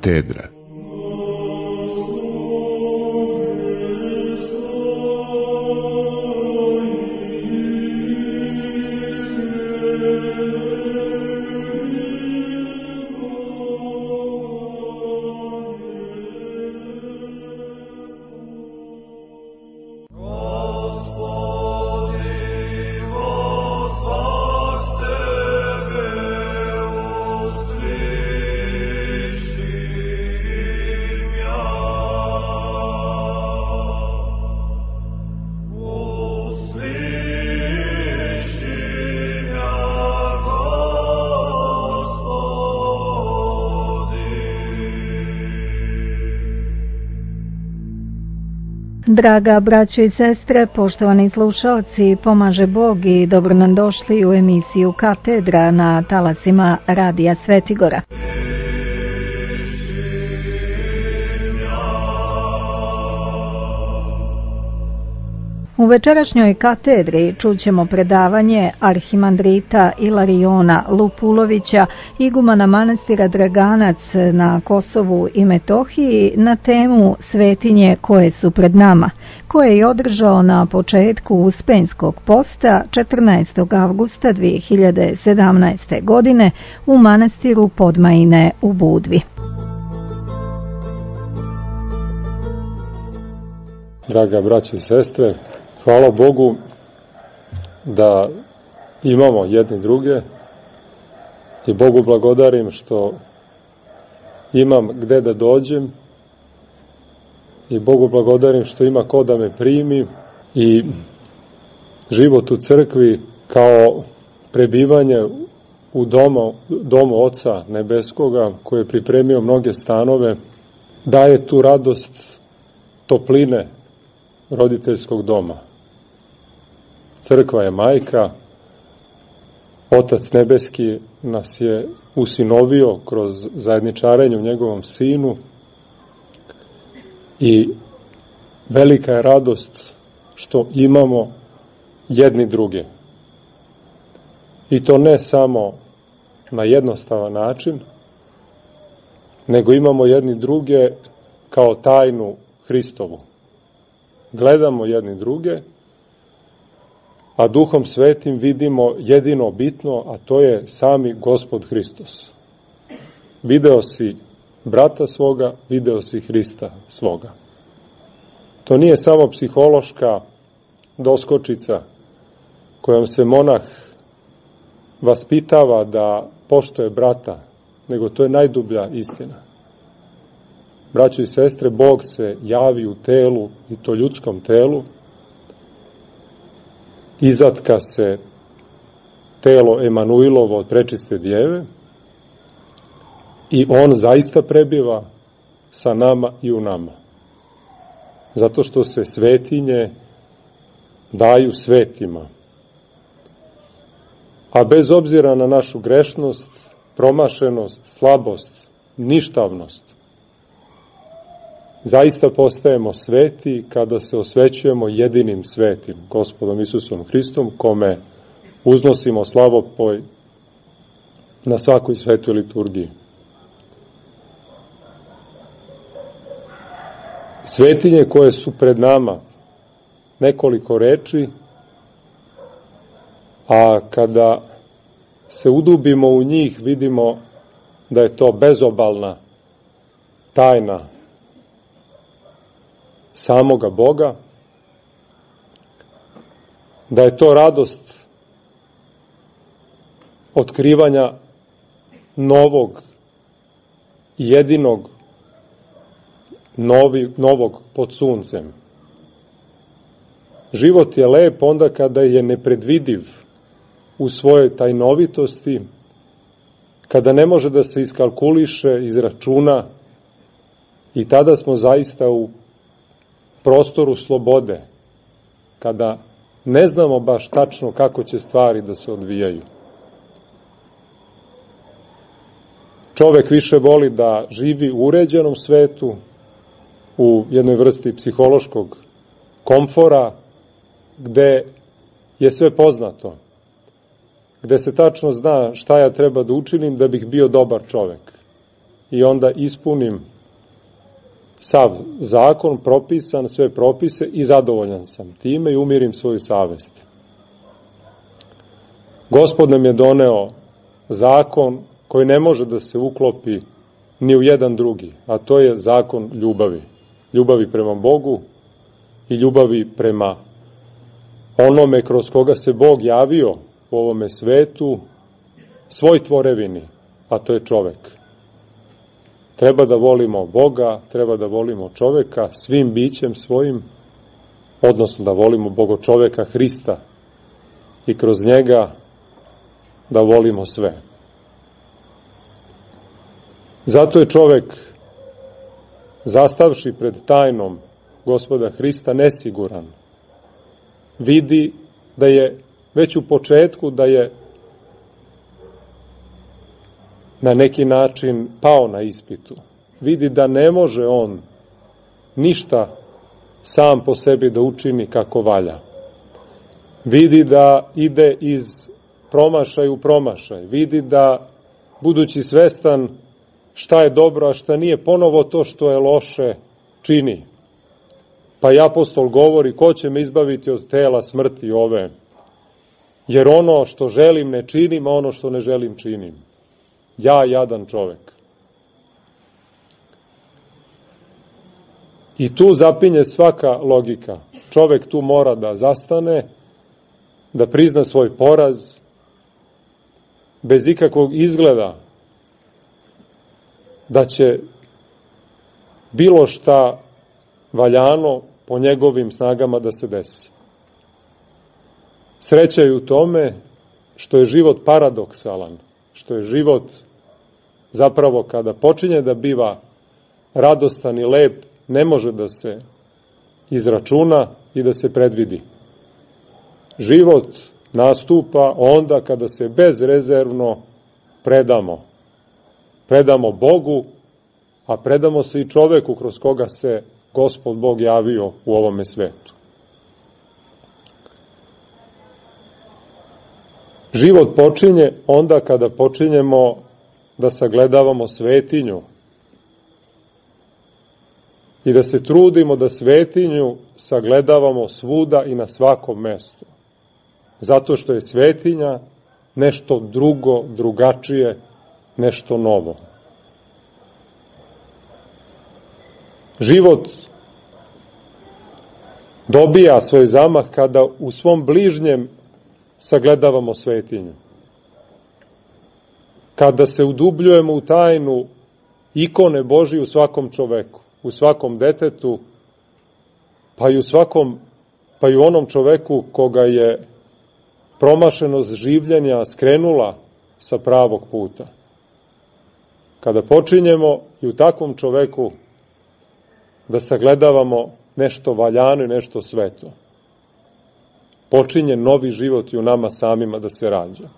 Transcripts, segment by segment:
Katedra. Draga braćo i sestre, poštovani slušalci, pomaže Bog i dobro nam došli u emisiju Katedra na talasima Radija Svetigora. U večerašnjoj katedri čućemo predavanje arhimandrita Ilariona Lupulovića, igumana manastira Draganac na Kosovu i Metohiji, na temu svetinje koje su pred nama, koje je održao na početku Uspenjskog posta 14. avgusta 2017. godine u manastiru Podmajine u Budvi. Draga braćo i sestre, hvala Bogu da imamo jedni druge i Bogu blagodarim što imam gde da dođem i Bogu blagodarim što ima ko da me primi i život u crkvi kao prebivanje u domu Oca Nebeskoga koji je pripremio mnoge stanove daje tu radost topline roditeljskog doma. Crkva je majka, Otac Nebeski nas je usinovio kroz zajedničarenje u njegovom sinu i velika je radost što imamo jedni druge. I to ne samo na jednostavan način, nego imamo jedni druge kao tajnu Hristovu. Gledamo jedni druge, a Duhom Svetim vidimo jedino bitno, a to je sami Gospod Hristos. Video si brata svoga, video si Hrista svoga. To nije samo psihološka doskočica kojom se monah vaspitava da poštuje brata, nego to je najdublja istina. Braćo i sestre, Bog se javi u telu, i to ljudskom telu, izatka se telo Emanuilovo od prečiste djeve i on zaista prebiva sa nama i u nama. Zato što se svetinje daju svetima. A bez obzira na našu grešnost, promašenost, slabost, ništavnost, zaista postajemo sveti kada se osvećujemo jedinim svetim, Gospodom Isusom Hristom, kome uznosimo slavopoj na svakoj svetoj liturgiji. Svetinje koje su pred nama, nekoliko reči, a kada se udubimo u njih vidimo da je to bezobalna tajna samoga Boga, da je to radost otkrivanja novog i jedinog novog pod suncem. Život je lep onda kada je nepredvidiv u svojoj tajnovitosti, kada ne može da se iskalkuliše, izračuna, i tada smo zaista u prostoru slobode, kada ne znamo baš tačno kako će stvari da se odvijaju. Čovek više voli da živi u uređenom svetu, u jednoj vrsti psihološkog komfora, gde je sve poznato, gde se tačno zna šta ja treba da učinim da bih bio dobar čovek. i onda ispunim sav zakon, propisan, sve propise i zadovoljan sam time i umirim svoju savest. Gospod nam je doneo zakon koji ne može da se uklopi ni u jedan drugi, a to je zakon ljubavi. Ljubavi prema Bogu i ljubavi prema onome kroz koga se Bog javio u ovome svetu, svoj tvorevini, a to je čovek. Treba da volimo Boga, treba da volimo čoveka svim bićem svojim, odnosno da volimo Bogočoveka Hrista i kroz njega da volimo sve. Zato je čovek, zastavši pred tajnom Gospoda Hrista, nesiguran. Vidi da je već u početku da je na neki način pao na ispitu. Vidi da ne može on ništa sam po sebi da učini kako valja. Vidi da ide iz promašaja u promašaj. Vidi da, budući svestan šta je dobro, a šta nije, ponovo to što je loše čini. Pa i apostol govori, ko će me izbaviti od tela smrti ove? Jer ono što želim ne činim, a ono što ne želim činim. Ja, jadan čovek. I tu zapinje svaka logika. Čovek tu mora da zastane, da prizna svoj poraz, bez ikakvog izgleda da će bilo šta valjano po njegovim snagama da se desi. Sreća je u tome što je život paradoksalan, što je život zapravo kada počinje da biva radostan i lep, ne može da se izračuna i da se predvidi. Život nastupa onda kada se bezrezervno predamo. Predamo Bogu, a predamo se i čoveku kroz koga se Gospod Bog javio u ovome svetu. Život počinje onda kada počinjemo da sagledavamo svetinju i da se trudimo da svetinju sagledavamo svuda i na svakom mestu. Zato što je svetinja nešto drugo, drugačije, nešto novo. Život dobija svoj zamah kada u svom bližnjem sagledavamo svetinju. Kada se udubljujemo u tajnu ikone Božije u svakom čoveku, u svakom detetu, pa i u onom čoveku koga je promašenost življenja skrenula sa pravog puta. Kada počinjemo i u takvom čoveku da sagledavamo nešto valjano i nešto sveto, počinje novi život i u nama samima da se rađa.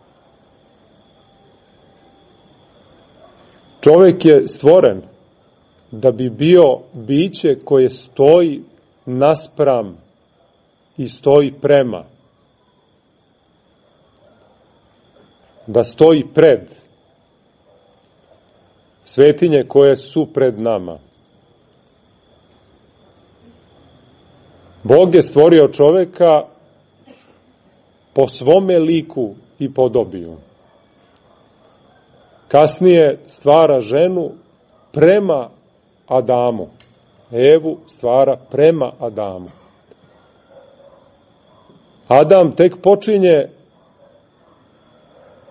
Čovek je stvoren da bi bio biće koje stoji naspram i stoji prema. Da stoji pred svetinje koje su pred nama. Bog je stvorio čoveka po svome liku i podobiju. Kasnije stvara ženu prema Adamu. Evu stvara prema Adamu. Adam tek počinje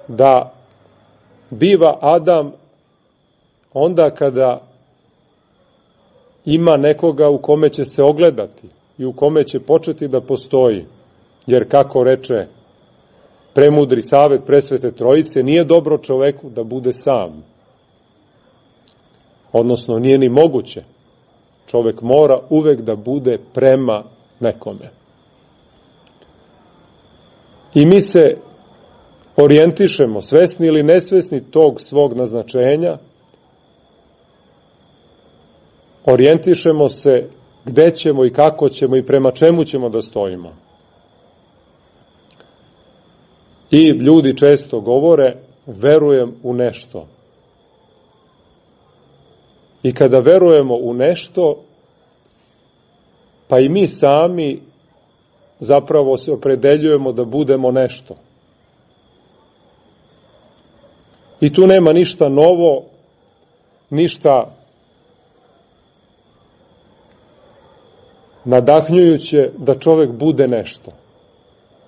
da biva Adam onda kada ima nekoga u kome će se ogledati i u kome će početi da postoji. Jer kako reče premudri savet presvete trojice, nije dobro čoveku da bude sam. Odnosno, nije ni moguće. Čovek mora uvek da bude prema nekome. I mi se orijentišemo, svesni ili nesvesni tog svog naznačenja, orijentišemo se gde ćemo i kako ćemo i prema čemu ćemo da stojimo. I ljudi često govore, verujem u nešto. I kada verujemo u nešto, pa i mi sami zapravo se opredeljujemo da budemo nešto. I tu nema ništa novo, ništa nadahnjujuće da čovek bude nešto.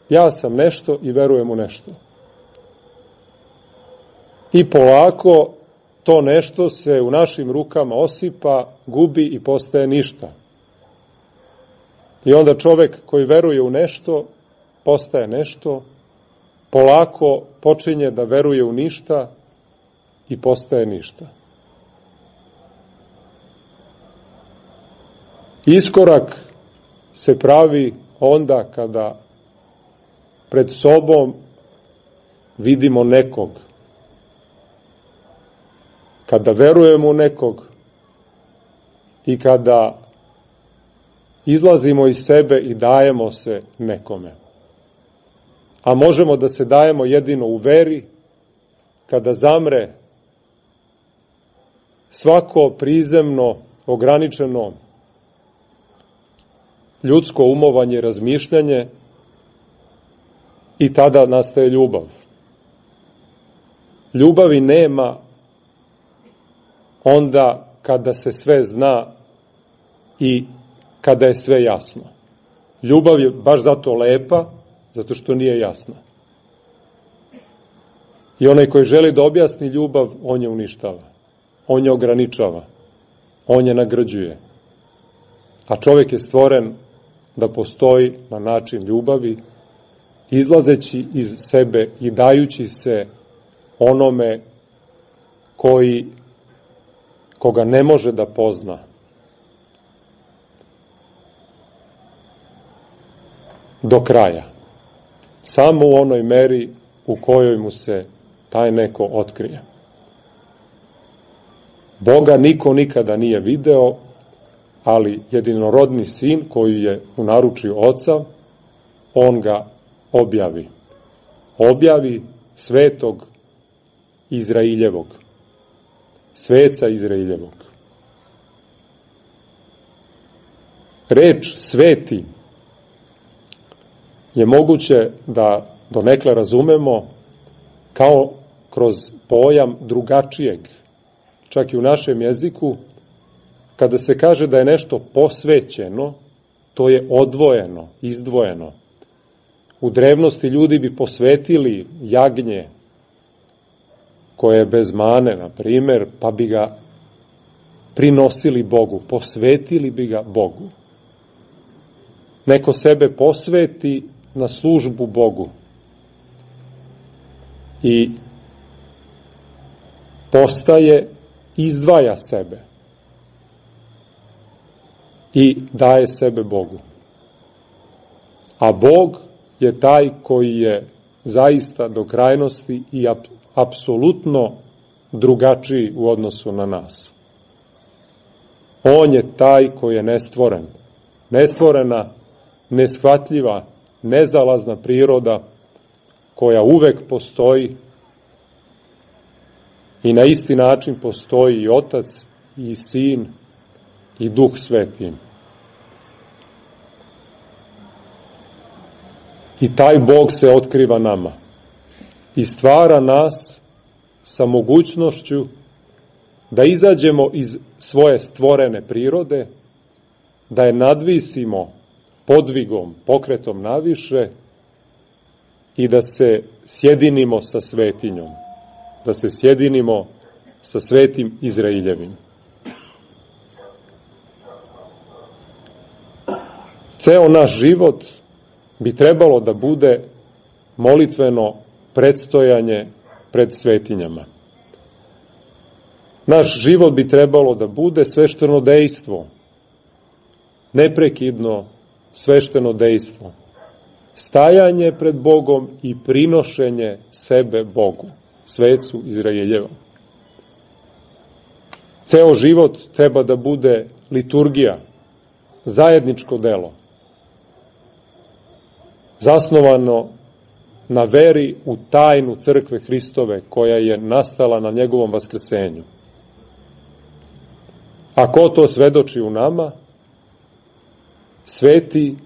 Ja sam nešto i verujem u nešto. I polako to nešto se u našim rukama osipa, gubi i postaje ništa. I onda čovek koji veruje u nešto, postaje nešto, polako počinje da veruje u ništa i postaje ništa. Iskorak se pravi onda kada pred sobom vidimo nekog. Kada verujemo u nekog i kada izlazimo iz sebe i dajemo se nekome. A možemo da se dajemo jedino u veri kada zamre svako prizemno, ograničeno ljudsko umovanje i razmišljanje i tada nastaje ljubav. Ljubavi nema onda kada se sve zna i kada je sve jasno. Ljubav je baš zato lepa, zato što nije jasna. I onaj koji želi da objasni ljubav, on je uništava. On je ograničava. On je nagrđuje. A čovjek je stvoren da postoji na način ljubavi, izlazeći iz sebe i dajući se onome koga ne može da pozna. Do kraja. Samo u onoj meri u kojoj mu se taj neko otkrije. Boga niko nikada nije video, ali jedinorodni sin koji je u naručju oca, on ga objavi. Objavi svetog Izraeljevog. Sveca Izraeljevog. Reč sveti je moguće da donekle razumemo kao kroz pojam drugačijeg. Čak i u našem jeziku, kada se kaže da je nešto posvećeno, to je odvojeno, izdvojeno. U drevnosti ljudi bi posvetili jagnje koje je bez mane, na primjer, pa bi ga prinosili Bogu, posvetili bi ga Bogu. Neko sebe posveti na službu Bogu i postaje, izdvaja sebe i daje sebe Bogu. A Bog je taj koji je zaista do krajnosti i apsolutno drugačiji u odnosu na nas. On je taj koji je nestvoren. Nestvorena, neshvatljiva, nezalazna priroda koja uvek postoji i na isti način postoji i Otac, i Sin, i Duh Sveti. I taj Bog se otkriva nama i stvara nas sa mogućnošću da izađemo iz svoje stvorene prirode, da je nadvisimo podvigom, pokretom naviše i da se sjedinimo sa svetinjom, da se sjedinimo sa svetim Izraeljevim. Ceo naš život bi trebalo da bude molitveno predstojanje pred svetinjama. Naš život bi trebalo da bude svešteno dejstvo, neprekidno svešteno dejstvo, stajanje pred Bogom i prinošenje sebe Bogu, svecu Izraeljevom. Ceo život treba da bude liturgija, zajedničko delo, zasnovano na veri u tajnu crkve Hristove koja je nastala na njegovom vaskrsenju. A ko to svedoči u nama? Sveti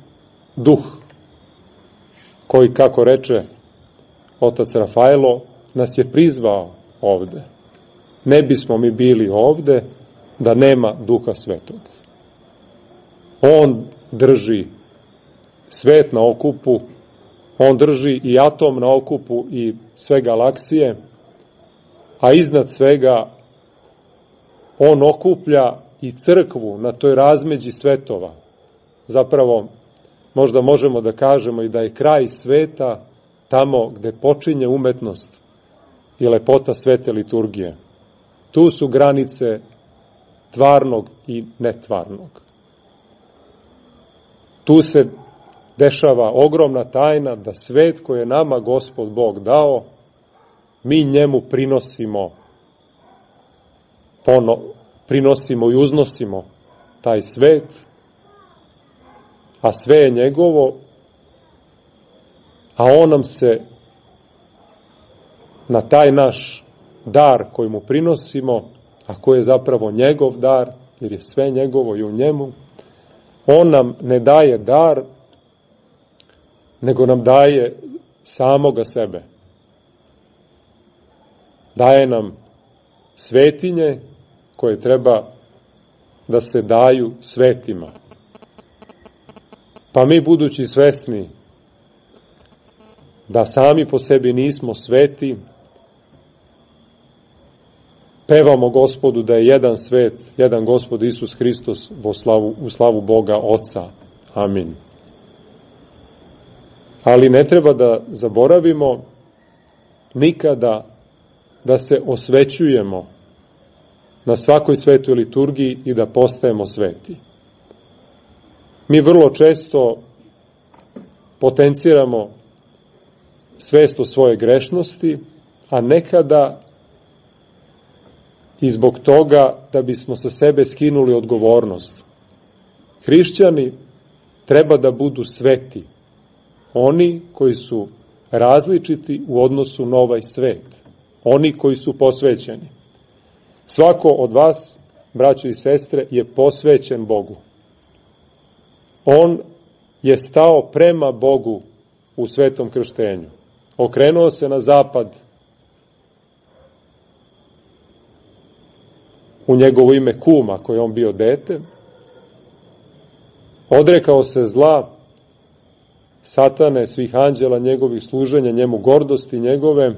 Duh, koji, kako reče otac Rafaelo, nas je prizvao ovde. Ne bismo mi bili ovde da nema Duha Svetog. On drži svet na okupu, on drži i atom na okupu i sve galaksije, a iznad svega on okuplja i crkvu na toj razmeđi svetova. Zapravo, možda možemo da kažemo i da je kraj sveta tamo gde počinje umetnost i lepota svete liturgije. Tu su granice tvarnog i netvarnog. Tu se dešava ogromna tajna da svet koji je nama Gospod Bog dao, mi njemu prinosimo i uznosimo taj svet, a sve je njegovo, a on nam se na taj naš dar koji mu prinosimo, a koji je zapravo njegov dar, jer je sve njegovo i u njemu, on nam ne daje dar, nego nam daje samoga sebe. Daje nam svetinje koje treba da se daju svetima. Pa mi, budući svesni da sami po sebi nismo sveti, pevamo Gospodu da je jedan svet, jedan Gospod Isus Hristos u slavu Boga Oca. Amin. Ali ne treba da zaboravimo nikada da se osvećujemo na svakoj svetoj liturgiji i da postajemo sveti. Mi vrlo često potenciramo svest o svoje grešnosti, a nekada i zbog toga da bismo sa sebe skinuli odgovornost. Hrišćani treba da budu sveti, oni koji su različiti u odnosu na ovaj svet, oni koji su posvećeni. Svako od vas, braćo i sestre, je posvećen Bogu. On je stao prema Bogu u svetom krštenju. Okrenuo se na zapad, u njegovo ime kuma, koje je on bio dete, odrekao se zla, satane, svih anđela, njegovih služenja, njemu gordosti njegove,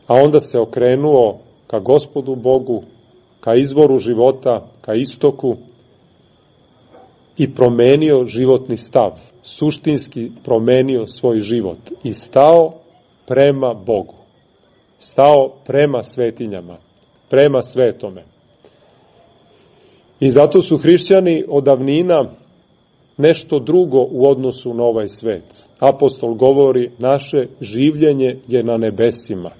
a onda se okrenuo ka Gospodu Bogu, ka izvoru života, ka istoku i promenio životni stav, suštinski promenio svoj život i stao prema Bogu, stao prema svetinjama, prema svetome. I zato su hrišćani od davnina nešto drugo u odnosu na ovaj svet. Apostol govori, naše življenje je na nebesima.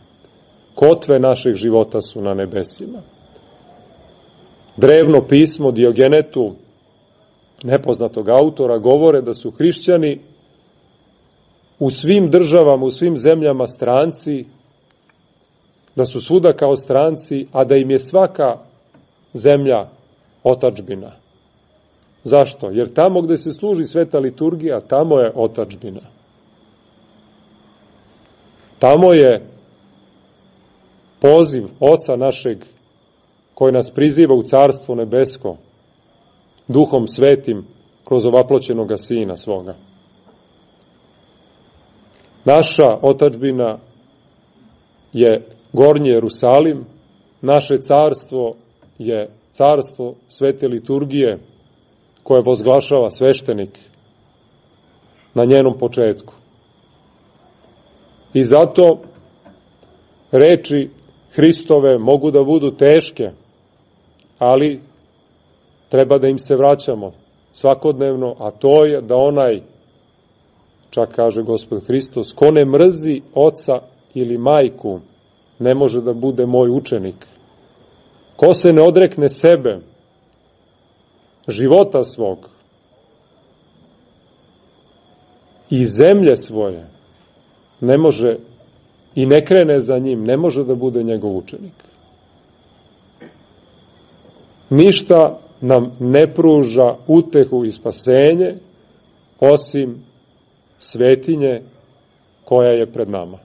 Kotve našeg života su na nebesima. Drevno pismo Diogenetu, nepoznatog autora, govore da su hrišćani u svim državama, u svim zemljama stranci, da su svuda kao stranci, a da im je svaka zemlja otadžbina. Zašto? Jer tamo gde se služi sveta liturgija, tamo je otadžbina. Tamo je poziv Oca našeg koji nas priziva u Carstvo nebesko, Duhom Svetim, kroz ovaploćenoga Sina svoga. Naša otadžbina je Gornji Jerusalim, naše carstvo je carstvo svete liturgije koje vozglašava sveštenik na njenom početku. I zato reči Hristove mogu da budu teške, ali treba da im se vraćamo svakodnevno, a to je da onaj, čak kaže Gospod Hristos, ko ne mrzi oca ili majku, ne može da bude moj učenik. Ko se ne odrekne sebe, života svog i zemlje svoje, ne može i ne krene za njim, ne može da bude njegov učenik. ništa nam ne pruža utehu i spasenje osim svetinje koja je pred nama.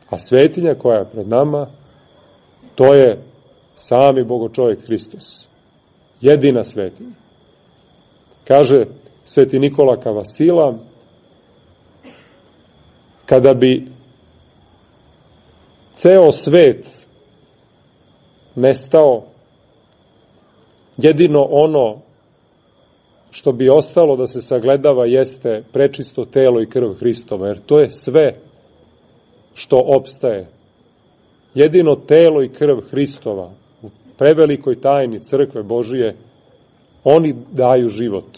A svetinja koja je pred nama, to je sami Bogočovjek Hristos. Jedina svetinja. Kaže sveti Nikola Kavasila, kada bi ceo svet nestao, jedino ono što bi ostalo da se sagledava jeste prečisto telo i krv Hristova, jer to je sve što opstaje. Jedino telo i krv Hristova u prevelikoj tajni crkve Božije, oni daju život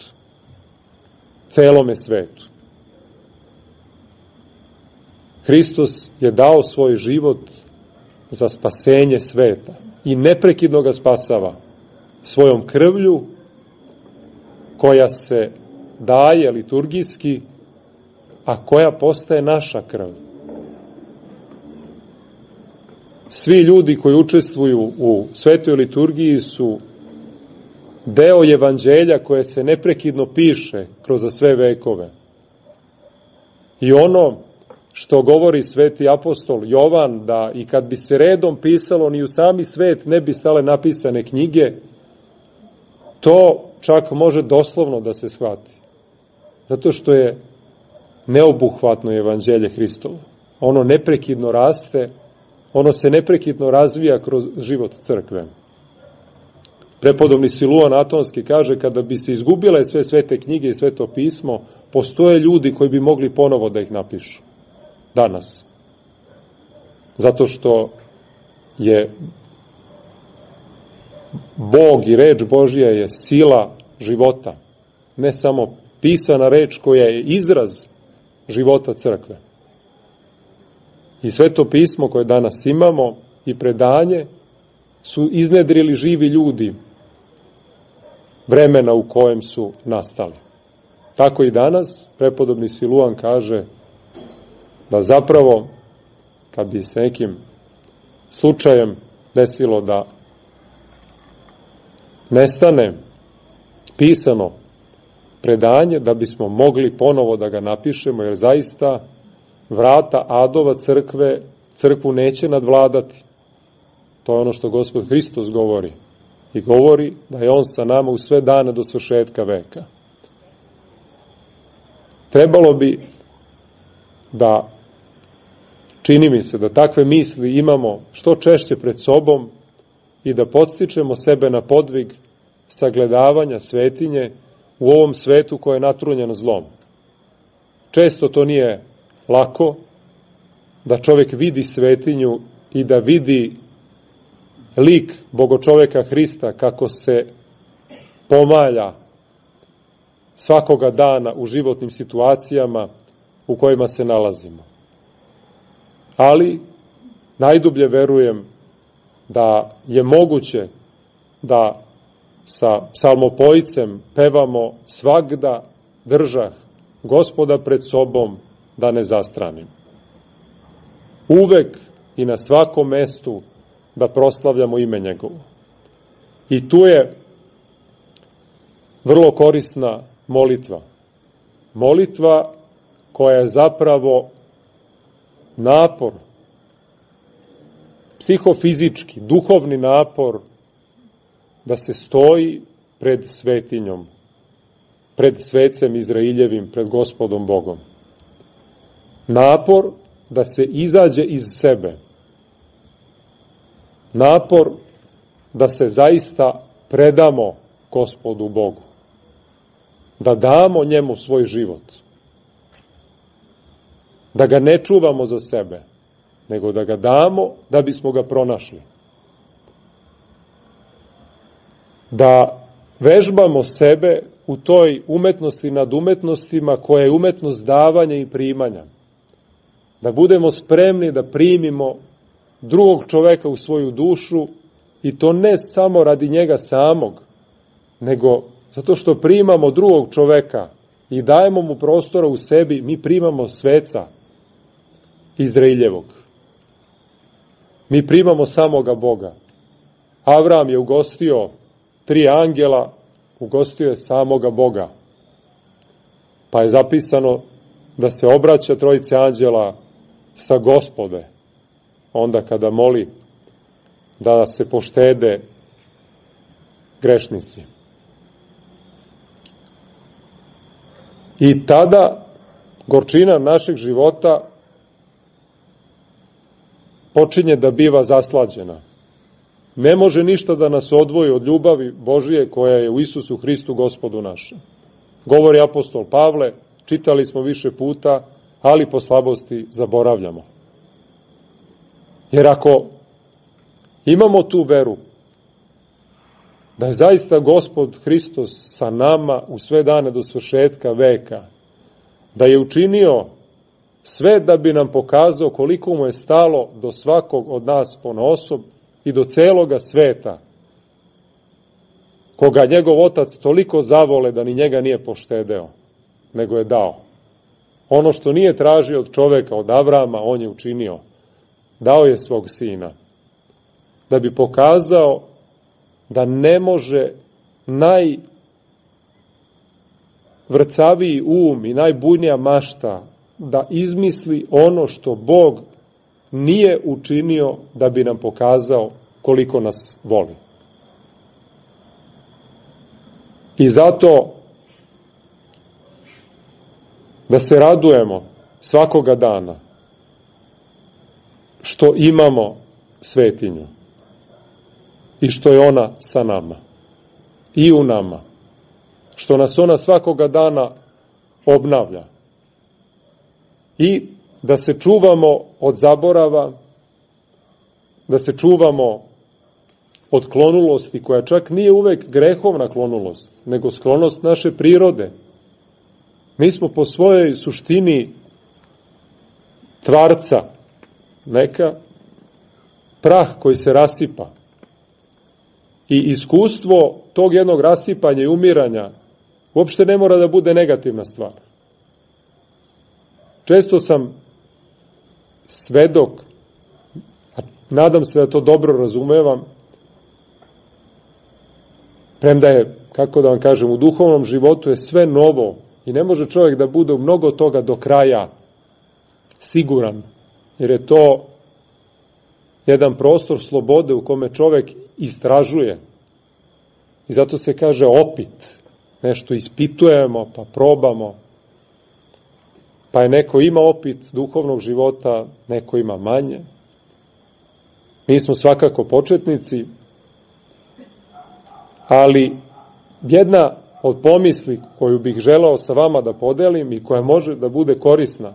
celome svetu. Hristos je dao svoj život za spasenje sveta i neprekidno ga spasava svojom krvlju koja se daje liturgijski, a koja postaje naša krv. Svi ljudi koji učestvuju u svetoj liturgiji su deo evanđelja koje se neprekidno piše kroz sve vekove. I ono što govori sveti apostol Jovan, da i kad bi se redom pisalo, ni u sami svet ne bi stale napisane knjige, to čak može doslovno da se shvati. Zato što je neobuhvatno evanđelje Hristovo. Ono neprekidno raste, ono se neprekidno razvija kroz život crkve. Prepodobni Siluan Atonski kaže, kada bi se izgubile sve svete knjige i sveto pismo, postoje ljudi koji bi mogli ponovo da ih napišu. Danas. Zato što je Bog i reč Božja je sila života. Ne samo pisana reč koja je izraz života crkve. I sveto pismo koje danas imamo i predanje su iznedrili živi ljudi vremena u kojem su nastali. Tako i danas prepodobni Siluan kaže da zapravo kad bi se nekim slučajem desilo da nestane pisano predanje, da bismo mogli ponovo da ga napišemo, jer zaista vrata adova crkvu neće nadvladati. To je ono što Gospod Hristos govori. I govori da je on sa nama u sve dane do svršetka veka. Trebalo bi da, čini mi se, da takve misli imamo što češće pred sobom i da podstičemo sebe na podvig sagledavanja svetinje u ovom svetu koje je natrunjeno zlom. Često to nije lako, da čovjek vidi svetinju i da vidi lik Bogočoveka Hrista kako se pomalja svakoga dana u životnim situacijama u kojima se nalazimo. Ali najdublje verujem da je moguće da sa psalmopojicem pevamo svagda držah Gospoda pred sobom da ne zastranim. Uvek i na svakom mestu da proslavljamo ime njegovo. I tu je vrlo korisna molitva. Molitva koja je zapravo napor, psihofizički, duhovni napor da se stoji pred svetinjom, pred svecem Izraeljevim, pred Gospodom Bogom. Napor da se izađe iz sebe. Napor da se zaista predamo Gospodu Bogu. Da damo njemu svoj život. Da ga ne čuvamo za sebe, nego da ga damo da bismo ga pronašli. Da vežbamo sebe u toj umetnosti nad umetnostima koja je umetnost davanja i primanja. Da budemo spremni da primimo drugog čoveka u svoju dušu i to ne samo radi njega samog, nego zato što primamo drugog čoveka i dajemo mu prostora u sebi, mi primamo sveca Izraeljevog. Mi primamo samoga Boga. Avram je ugostio 3 angela, ugostio je samoga Boga. Pa je zapisano da se obraća trojici anđela sa Gospode, onda kada moli da se poštede grešnici. I tada gorčina našeg života počinje da biva zaslađena. Ne može ništa da nas odvoji od ljubavi Božije koja je u Isusu Hristu Gospodu našem. Govori apostol Pavle, čitali smo više puta, ali po slabosti zaboravljamo. Jer ako imamo tu veru da je zaista Gospod Hristos sa nama u sve dane do svršetka veka, da je učinio sve da bi nam pokazao koliko mu je stalo do svakog od nas ponaosob i do celoga sveta, koga njegov otac toliko zavole da ni njega nije poštedeo, nego je dao. Ono što nije tražio od čoveka, od Avrama, on je učinio. Dao je svog sina, da bi pokazao da ne može najvrcaviji um i najbujnija mašta da izmisli ono što Bog nije učinio da bi nam pokazao koliko nas voli. I zato da se radujemo svakoga dana što imamo svetinju i što je ona sa nama i u nama, što nas ona svakoga dana obnavlja i da se čuvamo od zaborava, da se čuvamo od klonulosti, koja čak nije uvek grehovna klonulost, nego sklonost naše prirode. Mi smo po svojoj suštini tvarca, neka prah koji se rasipa. I iskustvo tog jednog rasipanja i umiranja uopšte ne mora da bude negativna stvar. Često sam svedok, a nadam se da to dobro razumevam, premda je, kako da vam kažem, u duhovnom životu je sve novo i ne može čovjek da bude u mnogo toga do kraja siguran, jer je to jedan prostor slobode u kome čovjek istražuje. I zato se kaže opit. Nešto ispitujemo, pa probamo. Pa je neko ima opit duhovnog života, neko ima manje. Mi smo svakako početnici, ali jedna od pomisli koju bih želeo sa vama da podelim i koja može da bude korisna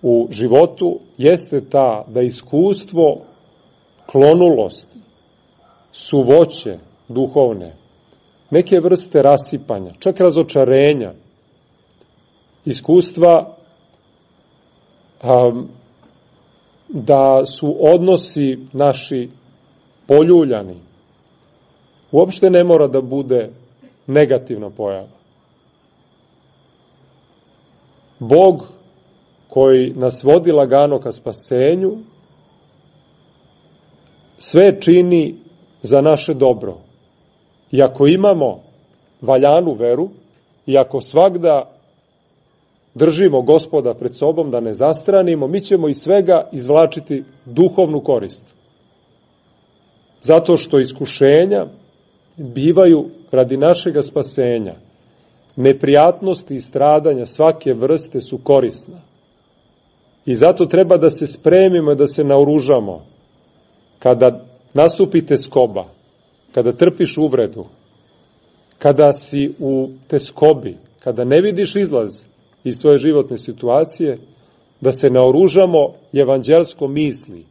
u životu jeste ta da iskustvo klonulosti, suvoće duhovne, neke vrste rasipanja, čak razočarenja, iskustva da su odnosi naši poljuljani, uopšte ne mora da bude negativna pojava. Bog koji nas vodi lagano ka spasenju, sve čini za naše dobro. I ako imamo valjanu veru, i ako svagda držimo Gospoda pred sobom da ne zastranimo, mi ćemo iz svega izvlačiti duhovnu korist. Zato što iskušenja bivaju radi našega spasenja. Neprijatnosti i stradanja svake vrste su korisna. I zato treba da se spremimo i da se naoružamo. Kada nastupi teskoba, kada trpiš uvredu, kada si u teskobi, kada ne vidiš izlaz iz svoje životne situacije, da se naoružamo evanđelskom misli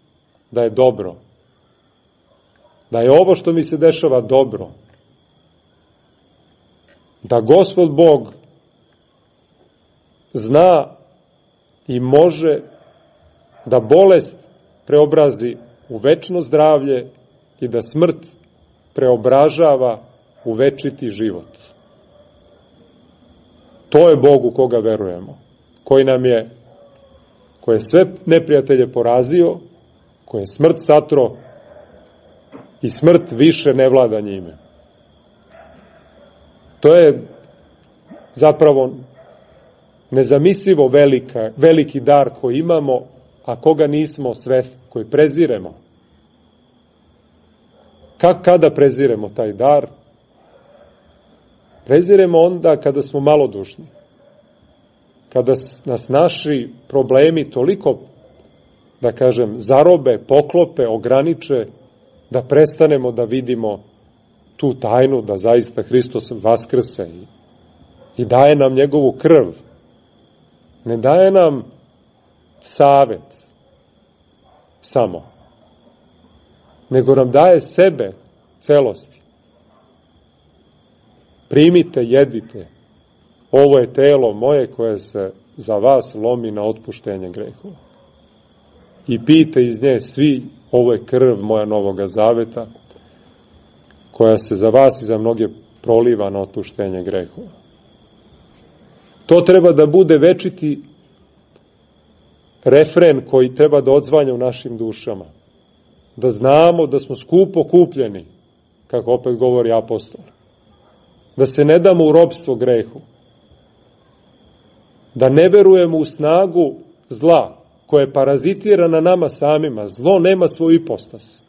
da je dobro. Da je ovo što mi se dešava dobro. Da Gospod Bog zna i može da bolest preobrazi u večno zdravlje i da smrt preobražava u večiti život. To je Bog u koga verujemo, koji je sve neprijatelje porazio, koji je smrt satro i smrt više ne vlada njime. To je zapravo nezamislivo veliki dar koji imamo, a koga nismo svesni, koji preziremo. Kada preziremo taj dar? Preziremo onda kada smo malodušni. Kada nas naši problemi toliko, da kažem, zarobe, poklope, ograniče, da prestanemo da vidimo tu tajnu da zaista Hristos vaskrse i daje nam njegovu krv. Ne daje nam savet samo, nego nam daje sebe celosti. Primite, jedite, ovo je telo moje koje se za vas lomi na otpuštenje grehova. I pijte iz nje svi, ovo je krv moja novoga zaveta, koja se za vas i za mnoge proliva na otpuštenje grehova. To treba da bude večiti refren koji treba da odzvanja u našim dušama. Da znamo da smo skupo kupljeni, kako opet govori apostol. Da se ne damo u ropstvo grehu. Da ne verujemo u snagu zla, koje parazitira na nama samima. Zlo nema svoju ipostas.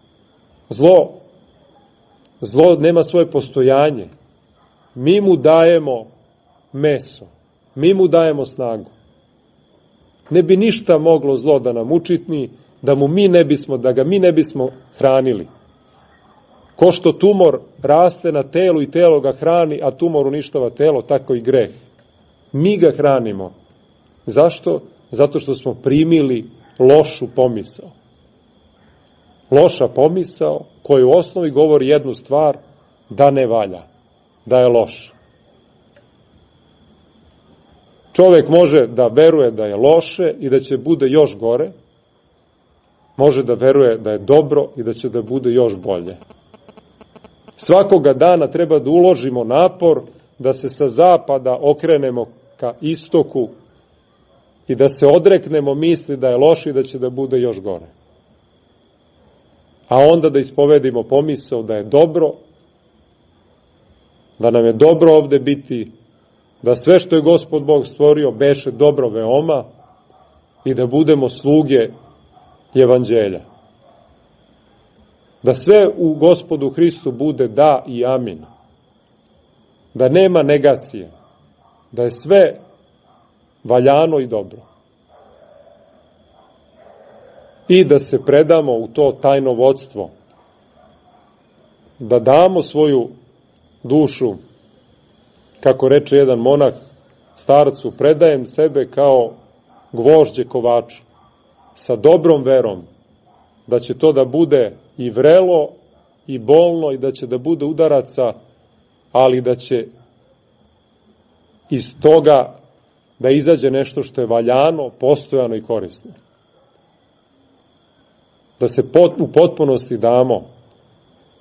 Zlo nema svoje postojanje. Mi mu dajemo meso. Mi mu dajemo snagu. Ne bi ništa moglo zlo da nam učitni, da ga mi ne bismo hranili. Ko što tumor raste na telu i telo ga hrani, a tumor uništava telo, tako i greh. Mi ga hranimo. Zašto? Zato što smo primili lošu pomisao. Loša pomisao koja u osnovi govori jednu stvar, da ne valja, da je loš. Čovjek može da veruje da je loše i da će bude još gore, može da veruje da je dobro i da će da bude još bolje. Svakoga dana treba da uložimo napor da se sa zapada okrenemo ka istoku i da se odreknemo misli da je loše i da će da bude još gore. A onda da ispovedimo pomisao da je dobro, da nam je dobro ovde biti, da sve što je Gospod Bog stvorio beše dobro veoma i da budemo sluge evanđelja. Da sve u Gospodu Hristu bude da i amin. Da nema negacije. Da je sve valjano i dobro. I da se predamo u to tajno vodstvo. Da damo svoju dušu, kako reče jedan monah starcu, predajem sebe kao gvožđe kovaču, sa dobrom verom, da će to da bude i vrelo i bolno i da će da bude udaraca, ali da će iz toga da izađe nešto što je valjano, postojano i korisno. Da se u potpunosti damo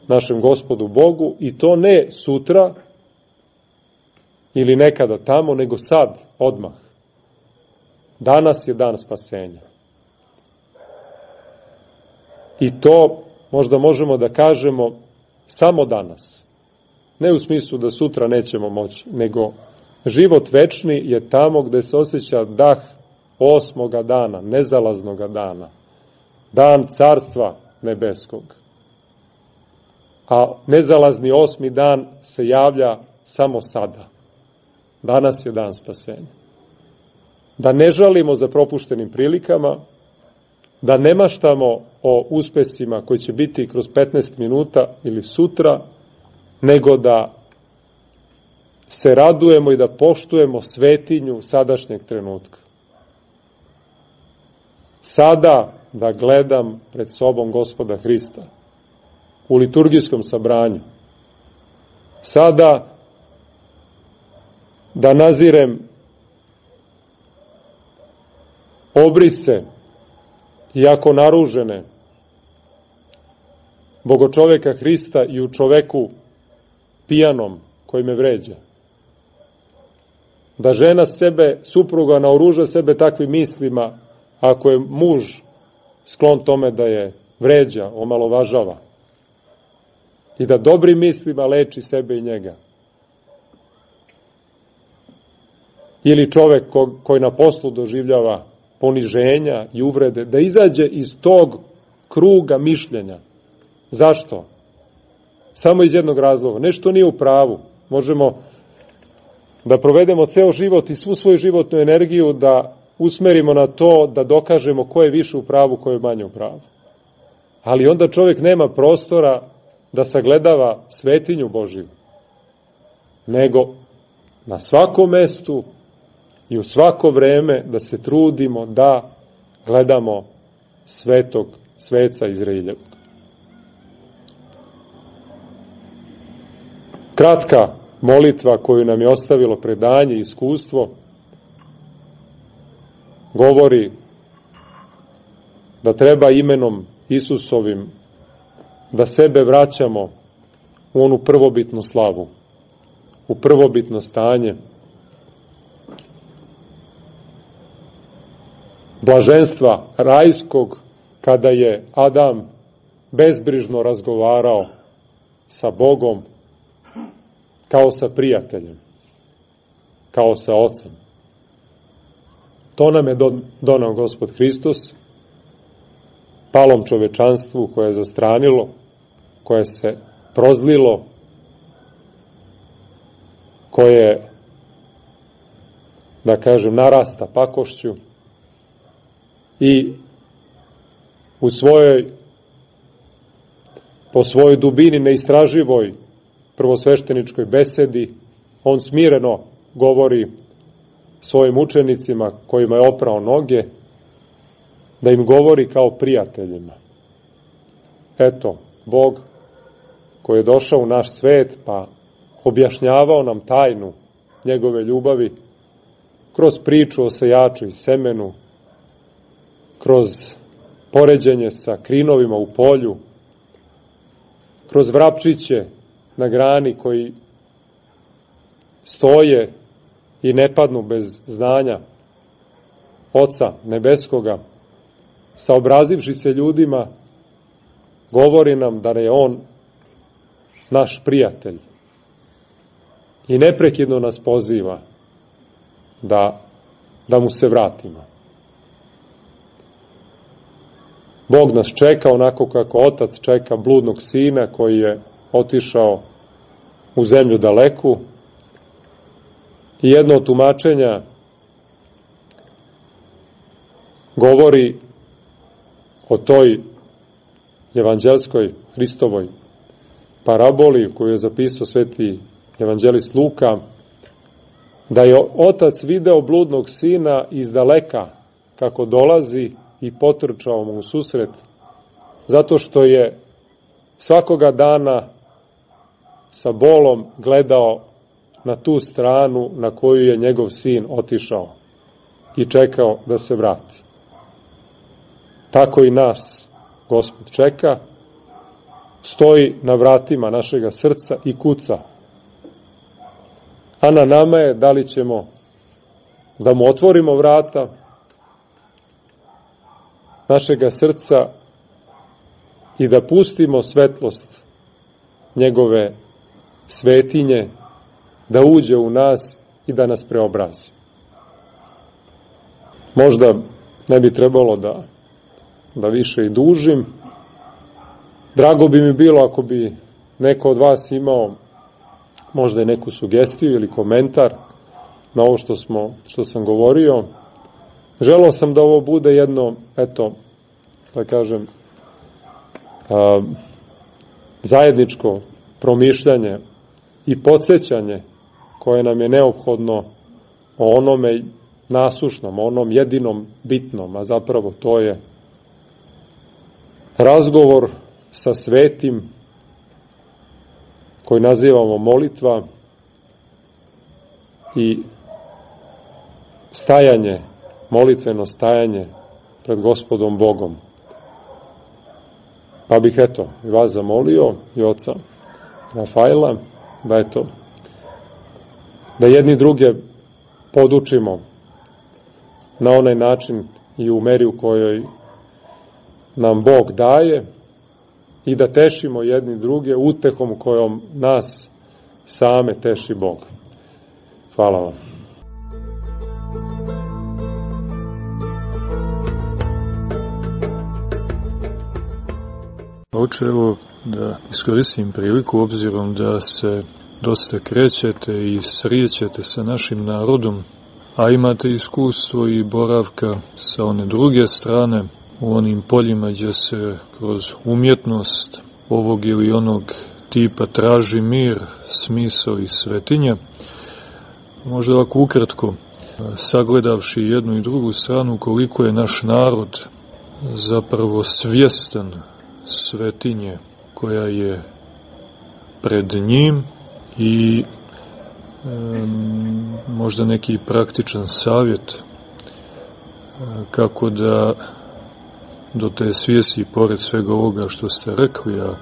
našem Gospodu Bogu i to ne sutra ili nekada tamo, nego sad, odmah. Danas je dan spasenja. I to možda možemo da kažemo samo danas. Ne u smislu da sutra nećemo moći, nego život večni je tamo gde se osjeća dah 8. dana, nezalaznog dana. Dan carstva nebeskog. A nezalazni 8. dan se javlja samo sada. Danas je dan spasenja. Da ne žalimo za propuštenim prilikama, da ne maštamo o uspesima koji će biti kroz 15 minuta ili sutra, nego da se radujemo i da poštujemo svetinju sadašnjeg trenutka. Sada da gledam pred sobom Gospoda Hrista u liturgijskom sabranju. Sada da nazirem obrise, iako naružene, bogočoveka Hrista i u čoveku pijanom koji me vređa. Da žena sebe, supruga, naoruža sebe takvim mislima, ako je muž sklon tome da je vređa, omalovažava. i da dobrim mislima leči sebe i njega. Ili čovek koji na poslu doživljava poniženja i uvrede, da izađe iz tog kruga mišljenja. Zašto? Samo iz jednog razloga. Nešto nije u pravu. Možemo da provedemo ceo život i svu svoju životnu energiju da usmerimo na to da dokažemo ko je više u pravu, ko je manje u pravu. Ali onda čovjek nema prostora da sagledava svetinju Božiju, nego na svakom mestu i u svako vreme da se trudimo da gledamo svetog sveca Izraeljevog. Kratka molitva koju nam je ostavilo predanje i iskustvo govori da treba imenom Isusovim da sebe vraćamo u onu prvobitnu slavu, u prvobitno stanje, blaženstva rajskog kada je Adam bezbrižno razgovarao sa Bogom kao sa prijateljem, kao sa ocem. To nam je donao Gospod Hristos, palom čovečanstvu koje je zastranilo, koje se prozlilo, koje, da kažem, narasta pakošću i po svojoj dubini neistraživoj prvosvešteničkoj besedi, on smireno govori svojim učenicima kojima je oprao noge, da im govori kao prijateljima. Eto, Bog koji je došao u naš svet pa objašnjavao nam tajnu njegove ljubavi kroz priču o sejaču i semenu, kroz poređenje sa krinovima u polju, kroz vrapčiće na grani koji stoje i ne padnu bez znanja Oca Nebeskoga, saobrazivši se ljudima, govori nam da je On naš prijatelj i neprekidno nas poziva da mu se vratimo. Bog nas čeka onako kako otac čeka bludnog sina koji je otišao u zemlju daleku. I jedno od tumačenja govori o toj evanđelskoj Hristovoj paraboli koju je zapisao sveti evanđelist Luka, da je otac video bludnog sina iz daleka kako dolazi i potrčao mu u susret, zato što je svakoga dana sa bolom gledao na tu stranu na koju je njegov sin otišao i čekao da se vrati. Tako i nas Gospod čeka, stoji na vratima našega srca i kuca. A na nama je da li ćemo da mu otvorimo vrata našega srca i da pustimo svetlost njegove svetinje da uđe u nas i da nas preobrazi. Možda ne bi trebalo da više i dužim. Drago bi mi bilo ako bi neko od vas imao možda i neku sugestiju ili komentar na ovo što sam govorio. Želeo sam da ovo bude jedno, da kažem, zajedničko promišljanje i podsjećanje koje nam je neophodno o onome nasušnom, o onom jedinom bitnom, a zapravo to je razgovor sa svetim koji nazivamo molitva i stajanje, molitveno stajanje pred Gospodom Bogom. Pa bih i vas zamolio i oca Rafaela da jedni druge podučimo na onaj način i u meri u kojoj nam Bog daje i da tešimo jedni druge utehom kojom nas same teši Bog. Hvala vam. Oče, evo da iskoristim priliku obzirom da se dosta krećete i srijećete sa našim narodom, a imate iskustvo i boravka sa one druge strane, u onim poljima gdje se kroz umjetnost ovog ili onog tipa traži mir, smisao i svetinje. Možda ovako ukratko, sagledavši jednu i drugu stranu, koliko je naš narod zapravo svjestan svetinje koja je pred njim i možda neki praktičan savjet kako da do te svijesti, pored svega ovoga što ste rekli, a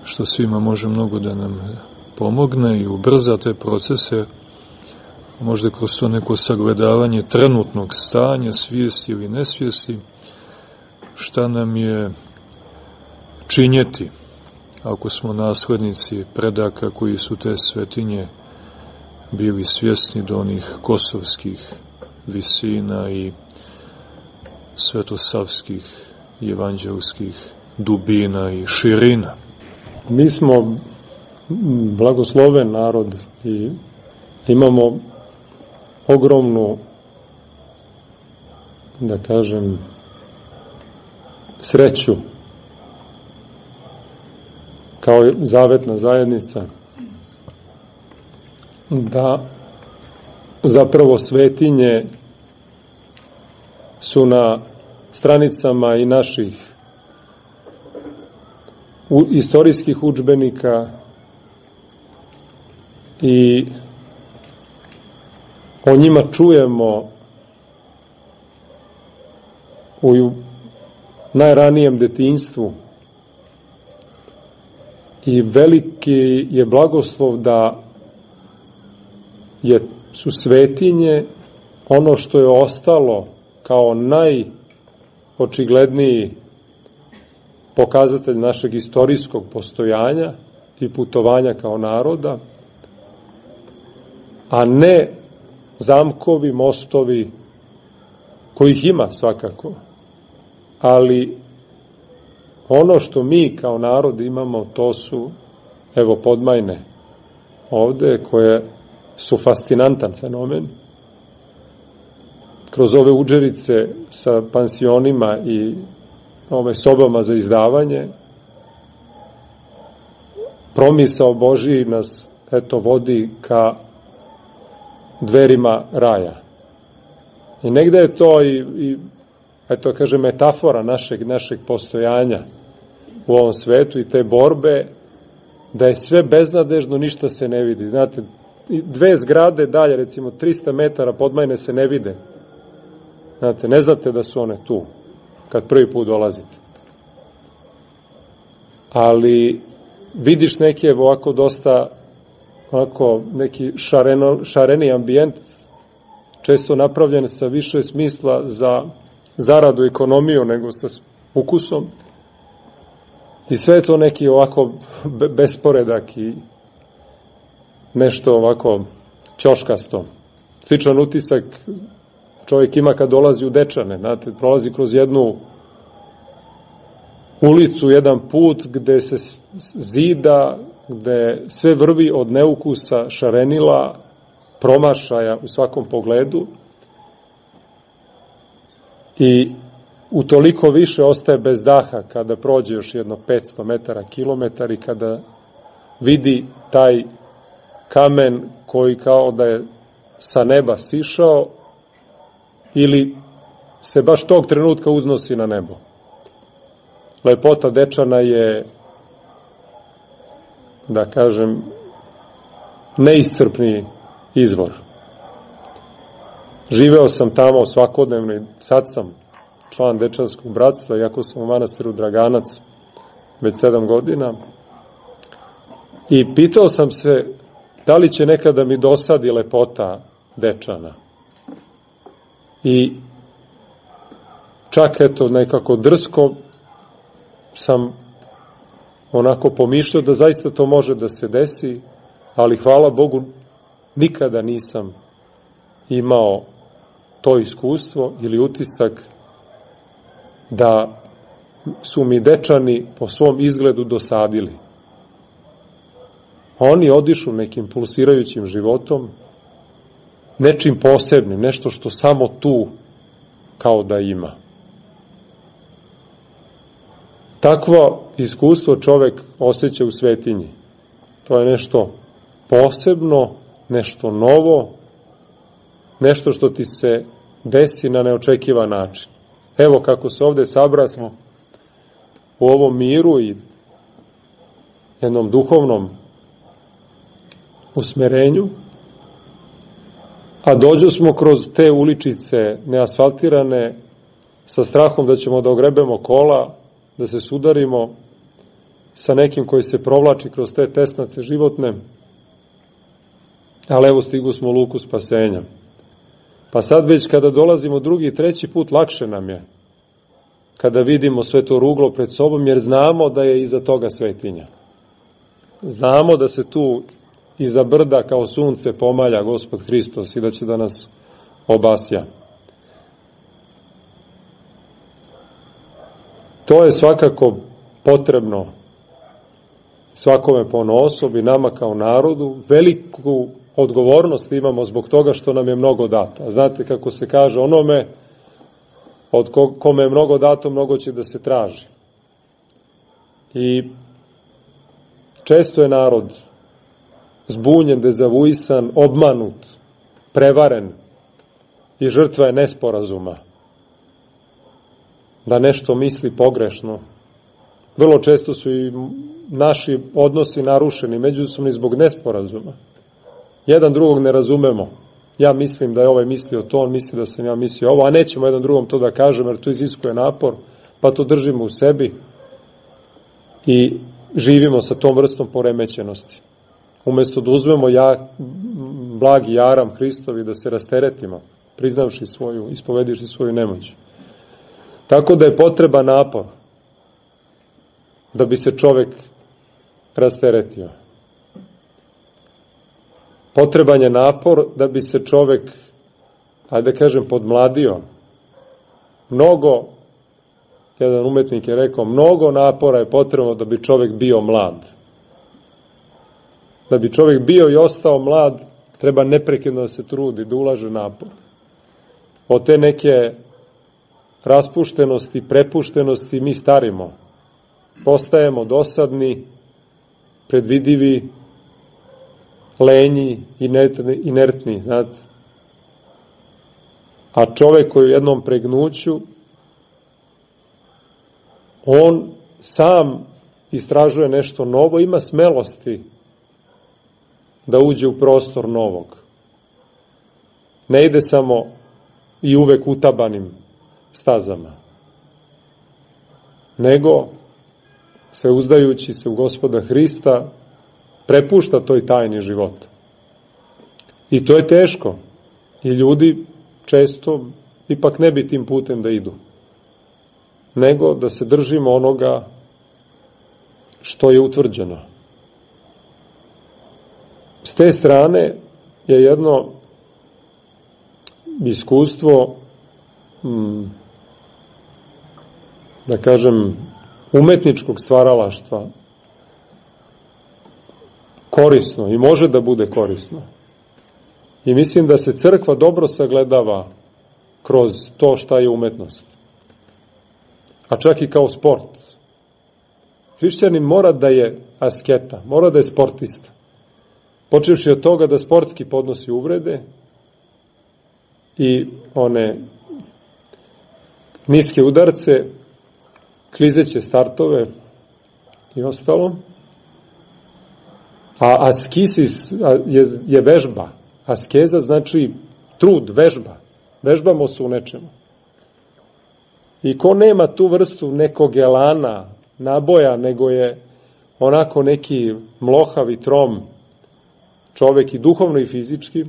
što svima može mnogo da nam pomogne i ubrza te procese, možda kroz to neko sagledavanje trenutnog stanja, svijesti ili nesvijesti, šta nam je činjeti ako smo naslednici predaka koji su te svetinje bili svjesni do onih kosovskih visina i svetosavskih i evanđelskih dubina i širina. Mi smo blagosloven narod i imamo ogromnu, da kažem, sreću kao zavetna zajednica da zapravo svetinje su na stranicama i naših istorijskih udžbenika i o njima čujemo u najranijem detinjstvu i veliki je blagoslov da su svetinje ono što je ostalo kao najočigledniji pokazatelj našeg istorijskog postojanja i putovanja kao naroda, a ne zamkovi, mostovi, kojih ima svakako, ali ono što mi kao narod imamo, to su, evo, podmajne ovde, koje su fascinantan fenomen. Kroz ove udžerice sa pansionima i ove sobama za izdavanje, promisao Božiji nas, eto, vodi ka dverima raja. I negde je to i eto, kaže, metafora našeg postojanja u ovom svetu i te borbe, da je sve beznadežno, ništa se ne vidi. Znate, dve zgrade dalje, recimo 300 metara podmajne se ne vide. Znate, ne znate da su one tu, kad prvi put dolazite. Ali vidiš neki ovako dosta, ovako neki šareni ambijent, često napravljen sa više smisla za zaradu, ekonomiju, nego sa ukusom. I sve je to neki ovako besporedak i nešto ovako ćoškasto. Sličan utisak čovjek ima kad dolazi u Dečane, znate, prolazi kroz jednu ulicu, jedan put gde se zida, gde sve vrvi od neukusa, šarenila, promašaja u svakom pogledu i utoliko više ostaje bez daha kada prođe još jedno 500 metara, kilometar i kada vidi taj kamen koji kao da je sa neba sišao ili se baš tog trenutka uznosi na nebo. Lepota Dečana je, da kažem, neiscrpni izvor. Živeo sam tamo svakodnevno i sad sam član Dečanskog bratstva, iako sam u manastiru Draganac već 7 godina. I pitao sam se da li će nekada mi dosadi lepota Dečana. I čak eto nekako drsko sam onako pomišljao da zaista to može da se desi, ali hvala Bogu nikada nisam imao to iskustvo ili utisak da su mi dečani po svom izgledu dosadili. Oni odišu nekim pulsirajućim životom, nečim posebnim, nešto što samo tu kao da ima. Takvo iskustvo čovek osjeća u svetinji. To je nešto posebno, nešto novo, nešto što ti se desi na neočekivan način. Evo kako se ovde sabrasmo u ovom miru i jednom duhovnom usmerenju, a dođo smo kroz te uličice neasfaltirane sa strahom da ćemo da ogrebemo kola, da se sudarimo sa nekim koji se provlači kroz te tesnace životne, ali evo stigu smo u luku spasenja. Pa sad već kada dolazimo drugi i treći put, lakše nam je kada vidimo sve to ruglo pred sobom, jer znamo da je iza toga svetinja. Znamo da se tu iza brda kao sunce pomalja Gospod Hristos i da će da nas obasja. To je svakako potrebno svakome ponaosob i nama kao narodu. Veliku odgovornost imamo zbog toga što nam je mnogo dato. Znate kako se kaže onome od kome je mnogo dato, mnogo će da se traži. I često je narod zbunjen, dezavuisan, obmanut, prevaren i žrtva je nesporazuma. Da nešto misli pogrešno. Vrlo često su i naši odnosi narušeni međusobni zbog nesporazuma. Jedan drugog ne razumemo. Ja mislim da je ovaj mislio to, on misli da sam ja mislio ovo, a nećemo jedan drugom to da kažemo jer to iziskuje napor, pa to držimo u sebi i živimo sa tom vrstom poremećenosti. Umesto da uzmemo blagi jaram Hristovi da se rasteretimo, priznavši svoju, ispovediši svoju nemoć. Tako da je potreba napor da bi se čovek rasteretio. Potreban je napor da bi se čovek, ajde da kažem, podmladio. Jedan umetnik je rekao, mnogo napora je potrebno da bi čovek bio mlad. Da bi čovek bio i ostao mlad, treba neprekidno da se trudi, da ulaže napor. Od te neke raspuštenosti, prepuštenosti mi starimo. Postajemo dosadni, predvidivi, lenji, inertni, znate. A čovek koji u jednom pregnuću, on sam istražuje nešto novo, ima smelosti da uđe u prostor novog. Ne ide samo i uvek utabanim stazama, nego se uzdajući se u Gospoda Hrista prepušta toj tajni života. I to je teško. I ljudi često ipak ne bi tim putem da idu. Nego da se držimo onoga što je utvrđeno. S te strane je jedno iskustvo, da kažem, umetničkog stvaralaštva korisno i može da bude korisno. I mislim da se crkva dobro sagledava kroz to šta je umetnost. A čak i kao sport. Hrišćanin mora da je asketa, mora da je sportista. Počevši od toga da sportski podnosi uvrede i one niske udarce, klizeće startove i ostalo. A askisis je vežba. Askeza znači trud, vežba. Vežbamo se u nečemu. I ko nema tu vrstu nekog elana, naboja, nego je onako neki mlohav i trom čovek i duhovno i fizički.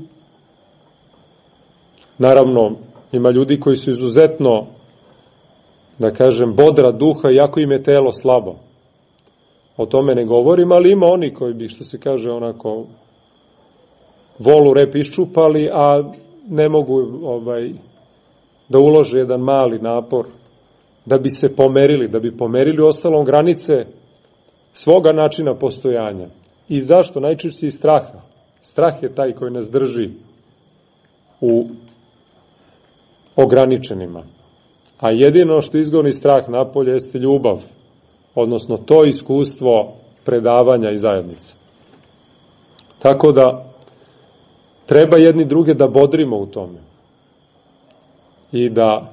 Naravno, ima ljudi koji su izuzetno da kažem, bodra duha, iako im je telo slabo. O tome ne govorim, ali ima oni koji bi, što se kaže, onako volu rep iščupali, a ne mogu da ulože jedan mali napor da bi se pomerili, da bi pomerili ostalom granice svoga načina postojanja. I zašto? Najčešće iz straha. Strah je taj koji nas drži u ograničenima. A jedino što izgoni strah napolje jeste ljubav, odnosno to iskustvo predavanja i zajednice. Tako da treba jedni druge da bodrimo u tome. I da,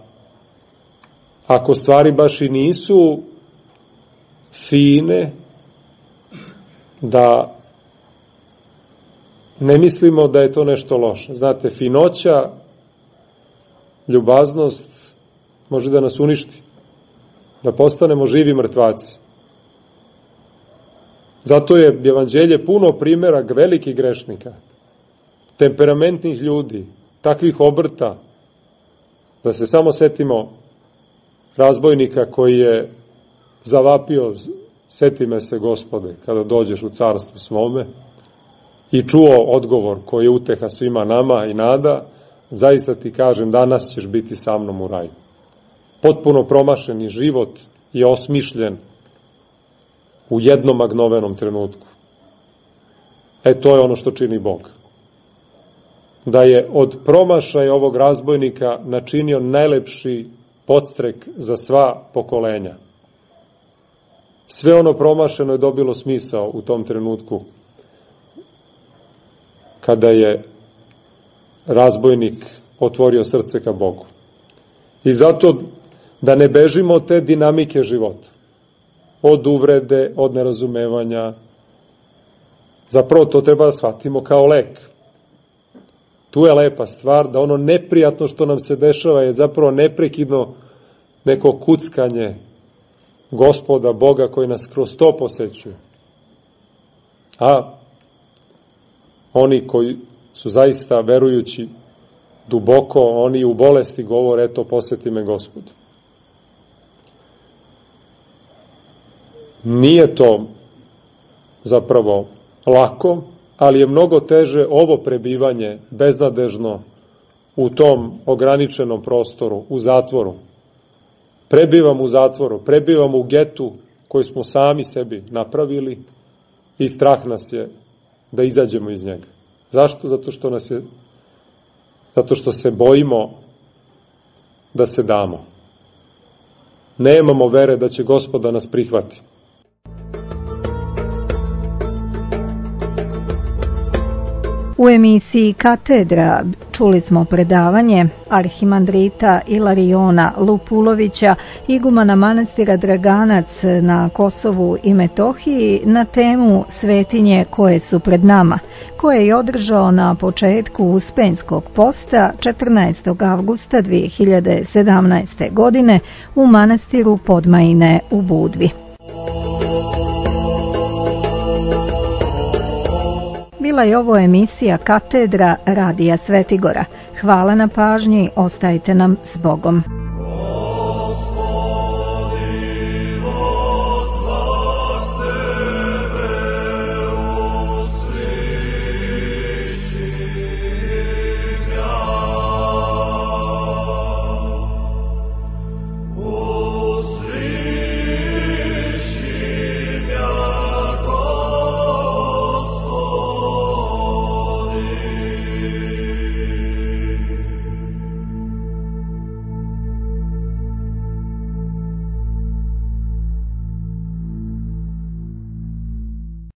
ako stvari baš i nisu fine, da ne mislimo da je to nešto loše. Znate, finoća, ljubaznost može da nas uništi, da postanemo živi mrtvaci. Zato je evanđelje puno primjera velikih grešnika, temperamentnih ljudi, takvih obrta, da se samo setimo razbojnika koji je zavapio, seti me se, Gospode, kada dođeš u carstvo svome, i čuo odgovor koji je uteha svima nama i nada, zaista ti kažem, danas ćeš biti sa mnom u raju. Potpuno promašeni život je osmišljen u jednom magnovenom trenutku. To je ono što čini Bog. Da je od promašaja ovog razbojnika načinio najlepši podstrek za sva pokolenja. Sve ono promašeno je dobilo smisao u tom trenutku kada je razbojnik otvorio srce ka Bogu. I zato da ne bežimo od te dinamike života, od uvrede, od nerazumevanja. Zapravo to treba da shvatimo kao lek. Tu je lepa stvar, da ono neprijatno što nam se dešava je zapravo neprekidno neko kuckanje Gospoda, Boga koji nas kroz to posećuje. A oni koji su zaista verujući duboko, oni u bolesti govore, eto, poseti me Gospod. Nije to zapravo lako, ali je mnogo teže ovo prebivanje beznadežno u tom ograničenom prostoru, u zatvoru. Prebivamo u zatvoru, prebivamo u getu koji smo sami sebi napravili i strah nas je da izađemo iz njega. Zašto? Zato što se bojimo da se damo. Nemamo vere da će Gospod da nas prihvati. U emisiji Katedra čuli smo predavanje arhimandrita Ilariona Lupulovića, igumana manastira Draganac na Kosovu i Metohiji, na temu Svetinje koje su pred nama, koje je održao na početku Uspenjskog posta 14. avgusta 2017. godine u manastiru Podmajine u Budvi. Bila je ovo emisija Katedra Radija Svetigora. Hvala na pažnji, ostajte nam s Bogom.